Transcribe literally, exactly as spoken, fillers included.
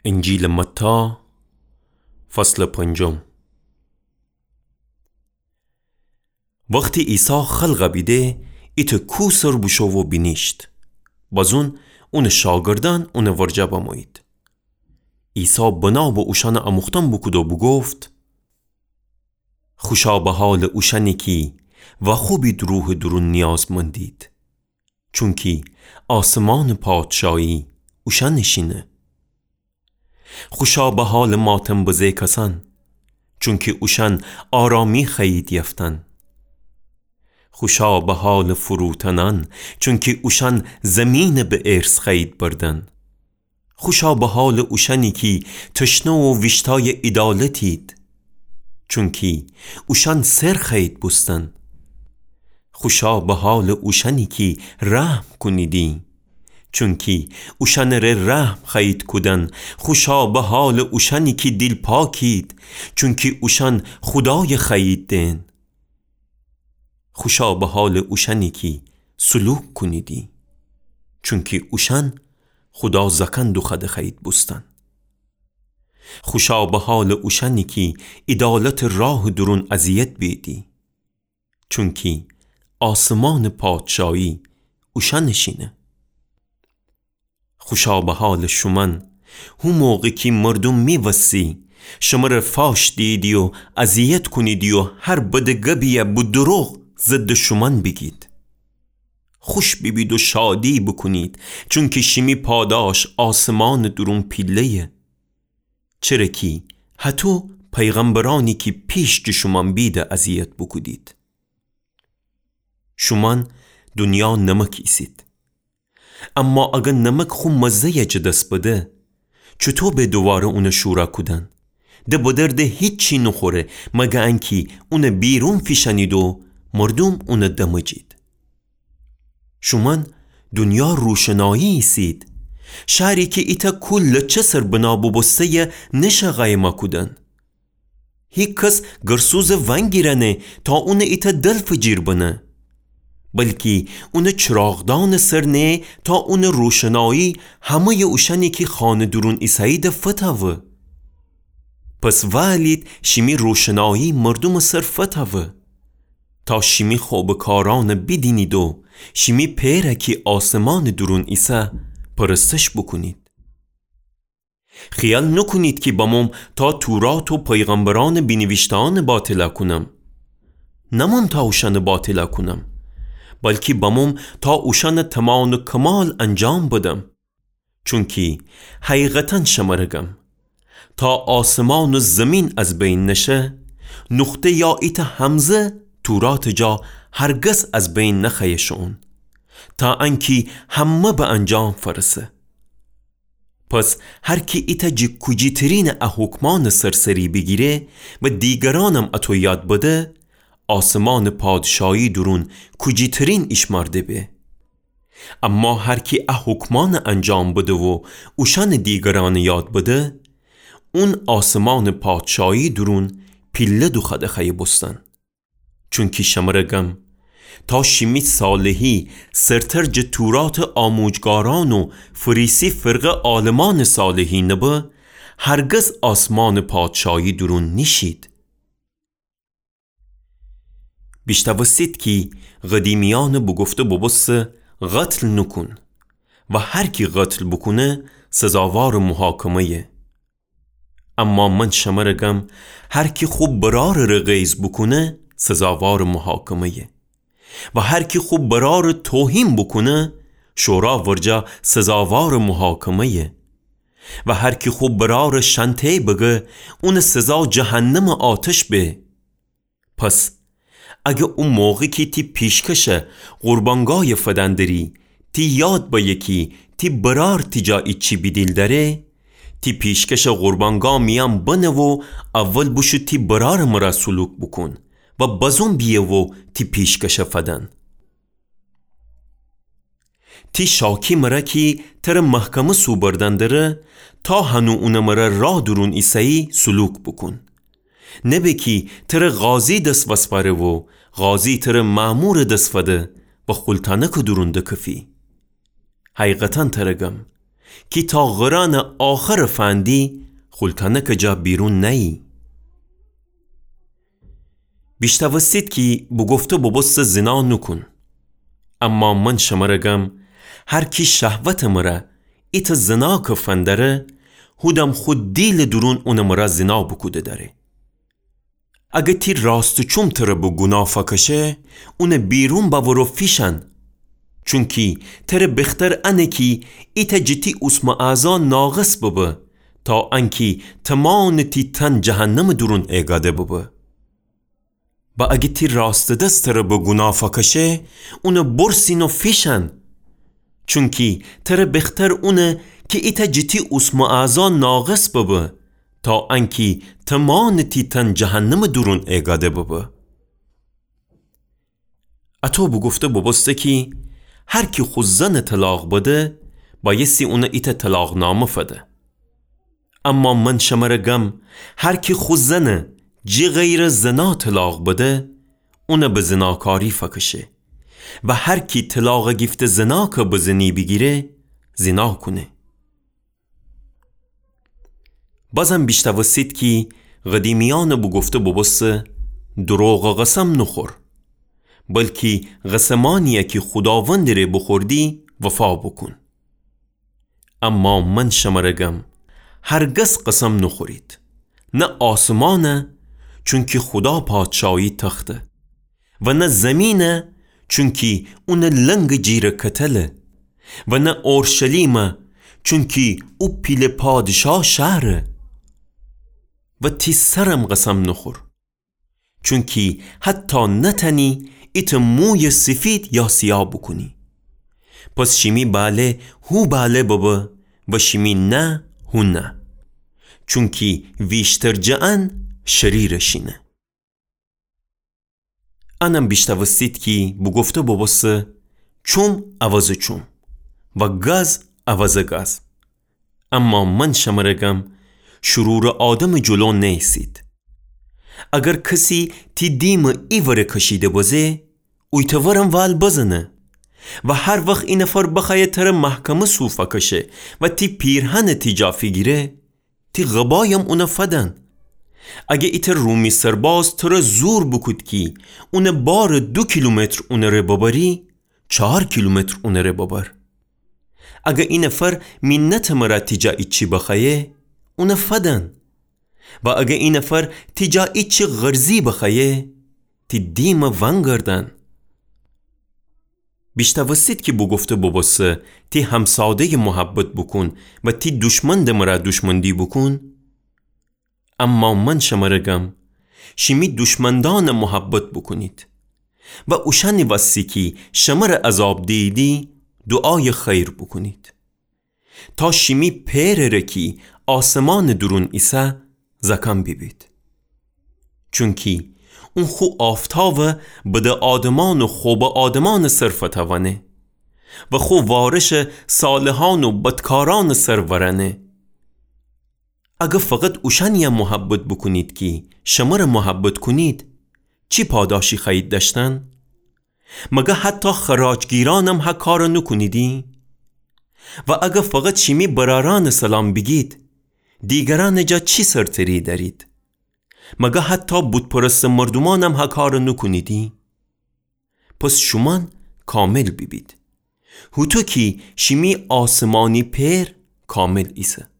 انجیلٚ متی، فصلٚ پنجم. وختی عیسی خلقَ بیده، ایتأ کوه سر بوشو و بینیشت. بزون اونٚ شاگردأن اونٚ ورجه بمویید. عیسی بنا به اوشأنٚ آموختن بوکود و بوگفت: خوشا به حالٚ اوشأنی کی وأخوبید روحٚ دورون نیازمندید، چونکی آسمانٚ پادشایی اوشأنٚ شینه. خوشا به حالٚ ماتم بزه کسأن، چونکی اوشأن آرامی خوأیید یفتن. خوشا به حالٚ فروتنأن، چونکی اوشأن زیمینَ به ارث خوأیید بردن. خوشا به حالٚ اوشأنی کی تشنه و ویشتایٚ عیدالتید، چونکی اوشأن سر خوأیید بوستن. خوشا به حالٚ اوشأنی کی رحم کونیدی، چونکی اوشأنٚ ره رحم خوأیید کودن. خوشا به حالٚ اوشأنی کی دیل پاکید، چونکی اوشأن خودایَ خوأیید دئن. خوشا به حالٚ اوشأنی کی سلوک کونیدی، چونکی اوشأن خودا زأکأن دوخوأده خوأیید بوستن. خوشا به حالٚ اوشأنی کی عیدالتٚ راهٚ دورون اذیت بیدی، چونکی آسمانٚ پادشایی اوشأنٚ شینه. خوشا به حالٚ شومأن، هو موقع کی مردوم می‌وستی، شمره فاش دیدی و اذیت کونیدی و هر بدٚ گبی‌یَ به دروغ ضدٚ شومأن بیگید. خوش بیبید و شادی بوکونید، چونکی شیمی پاداش آسمانٚ دورون پیله‌یه. چره کی هطو پیغمبرأنی کی پیش جٚه شومأن بیده اذیت بوکودید. شومأن دونیا نمک ایسید. اما اگر نمک خو مزه‌یَ جٚه دس بده، چوطو به دوواره اونَ شورَ کودن؟ ده به درد هیچی نوخوره، مگر انکی اونَ بیرون فیشأنید و مردوم اونَ دمجید. شومأن دونیا روشنایی ایسید. شهری کی ایتأ کوه لچه سر بنا بوبوسته‌یه نشه قایمَ کودن. هیکس گرسوزَ ونگیرأنه تا اونَ ایتأ دلفٚ جیر بنه، بلکی اونَ چراغدانٚ سر نهه تا اونٚ روشنایی همه‌یٚ اوشأنی کی خانه دورون ایسه‌ییده فتأوه. پس وألید شیمی روشنایی مردومٚ سر فتأوه، تا شیمی خوبٚ کارأنَ بیدینید و شیمی پئرَ کی آسمانٚ دورون ایسه پرستش بوکونید. خیال نوکونید کی بموم تا تورات و پیغمبرأنٚ بینیویشته‌یأنَ باطلَ کونم. نموم تا اوشأنَ باطلَ کونم، بلکی بموم تا اوشأنَ تمام و کمال انجام بدم. چونکی حقیقتاً شمره گم، تا آسمان و زیمین از بین نشه، نقطه یا ایتأ همزه توراتٚ جا هرگز از بین نخوأیه شوئون، تا انکی همه به انجام فرسه. پس هر کی ایتأ جٚه کوجی‌ترینٚ ا حکمأنٚ سر سری بیگیره و دیگرأنم اطو یاد بده، آسمانٚ پادشایی دورون کوجی‌ترین ایشمأرده به. اما هر کی ا حکمأنَ انجام بده و اوشأنَ دیگرأنَ یاد بده، اون آسمانٚ پادشایی دورون پیله دوخوأده خوأیه بوستن. چونکی شمره گم، تا شیمی صالحی سرتر جٚه توراتٚ آموجگارأن و فریسی فرقه عالمأنٚ صالحی نبه، هرگز آسمانٚ پادشایی دورون نیشید. بیشنوستید کی قدیمیأنَ بوگفته بوبوسته: قتل نوکون و هر کی قتل بوکونه سزاوارٚ محاکمه‌یه. اما من شمره گم، هر کی خو برأرٚ ره غیظ بوکونه سزاوارٚ محاکمه‌یه و هر کی خو برأرٚ توهین بوکونه شورا ورجه سزاوارٚ محاکمه‌یه و هر کی خو برأرٚ شنته‌ی بگه اونٚ سزا جهنمٚ آتش به. پس اگه او موقع کی تی پیشکشٚ قربانگایَ فدن دری، تی یاد بأیه کی تی برأر تی جا ایچی بیدیل دأره، تی پیشکشٚ قربانگا میأن بنه و اول بوشو تی برأرٚ مرأ سلوک بوکون و بزون بیه و تی پیشکشَ فدن. تی شاکی مرأ کی تره محکمه سوبردن دره، تا هنو اونٚ مرأ راه دورون ایسه‌یی سلوک بوکون. نبه کی تره قاضی دس وسپأره و قاضی تره مأمورٚ دس فده و خولتأنکٚ دورون دکفی. حقیقتاً تره گم، کی تا غرأنٚ آخرٚ فندی خولتأنکٚ جا بیرون نأیی. بیشتأوستید کی بوگفته بوبوسته زینا نوکون. اما من شمره گم، هر کی شهوتٚ مره ایتأ زیناکٚ فندأره، هودم خو دیلٚ دورون اونٚ مره زینا بوکوده دأره. اگر تی راستٚ چوم تره به گوناه فأکشه، اونٚ بیرون بأور و فیشأن. چونکی تره بختر انه کی ایتأ جٚه تی اوسمٚ اعضا ناقص ببه، تا انکی تومانٚ تی تن جهنمٚ دورون ایگاده ببه. و اگر تی راستٚ دس تره به گوناه فأکشه، اونه برسین و فیشأن. چونکی تره بختر اونه کی ایتأ جٚه تی اوسمٚ اعضا ناقص ببه، تا انکی تومانٚ تی تن جهنمٚ دورون ایگاده ببه. اطو بوگفته بوبوسته کی هر کی خو زنٚ طلاق بده، بأیستی اونه ایتأ طلاقنامه فده. اما من شمره گم، هر کی خو زنه جٚه غیرٚ زنا طلاق بده، اونه به زناکاری فأکشه. و هر کی طلاق گیفته زناکٚ بزنی بیگیره، زنا کونه. بازم بیشتأوستید کی قدیمیأنٚ بوگفته بوبوسته، دروغٚ قسم نوخور، بلکی قسمأنیی کی خوداوندٚ ره بوخوردی، وفا بوکون. اما من شمره گم، هرگز قسم نوخورید، نه آسمانه، چونکی خودا پادشاهی تخته، و نه زیمینه، چونکی اونٚ لنگٚ جیرٚ کتله، و نه اورشلیمه، چونکی او پیله پادشاه شهره. و تی سرم قسم نوخور، چونکی حتی نتأنی ایتأ موی سیفید یا سیاه بوکونی. پس شیمی بأله هو بأله ببه و شیمی نه هو نه. چونکی ویشتر جٚه ان شریرٚ شینه. انم بیشتأوستید کی بوگفته بوبوسته، چوم عوضٚ چوم و گز عوضٚ گز. اما من شمره گم، شرورٚ آدمٚ جلو نأیسید. اگر کسی تی دیمٚ ایوره کشیده بزه، اویتٚ ورم ول بزنه. و هر وخت ای نفر بخوأیه تره محکمه سو فأکشه و تی پیرهنٚ تی جا فیگیره، تی قبایم اونه فدن. اگه ایتأ رومی سرباز تره زور بوکود کی اونٚ بارٚ دو کیلومتر اونٚ ره ببری، چهار کیلومتر اونٚ ره ببر. اگه ای نفر مینتٚ مره تی جا ایچی بخوأیه، اونه فدن. و اگه ای نفر تی جا ایچی قرضی بخوأیه، تی دیمٚ ونگردن. بیشتأوستید کی بوگفته بوبوسته، تی همساده‌ی محبت بوکون و تی دوشمندٚ مره دوشمندی بوکون. اما من شمره گم، شیمی دوشمندأنٚ محبت بوکونید و اوشأنٚ وستی کی شمره عذاب دییدی، دوعایٚ خیر بوکونید، تا شیمی پئرٚ ره کی آسمانٚ دورون ایسه، زأکأن بیبید. چونکی اون خو آفتاوٚ بدٚ آدمأن و خوبٚ آدمأنٚ سر فتأوأنه و خو وارشٚ صالحأن و بدکارأنٚ سر ورأنه. اگه فقط اوشأنیی محبت بوکونید کی شمره محبت کونید، چی پاداشی خوأیید دأشتن؟ مگه حتی خراجگیرأنم هه کارٚ نوکونیدی؟ و اگه فقط شیمی برأرأنٚ سلام بیگید، دیگرأنٚ جا چی سرتری دأرید؟ مگه حتی بت‌پرستٚ مردومأنم هه کارٚ نوکونیدی؟ پس شومأن کامل بیبید، هوطو کی شیمی آسمانی پئر کامل ایسه.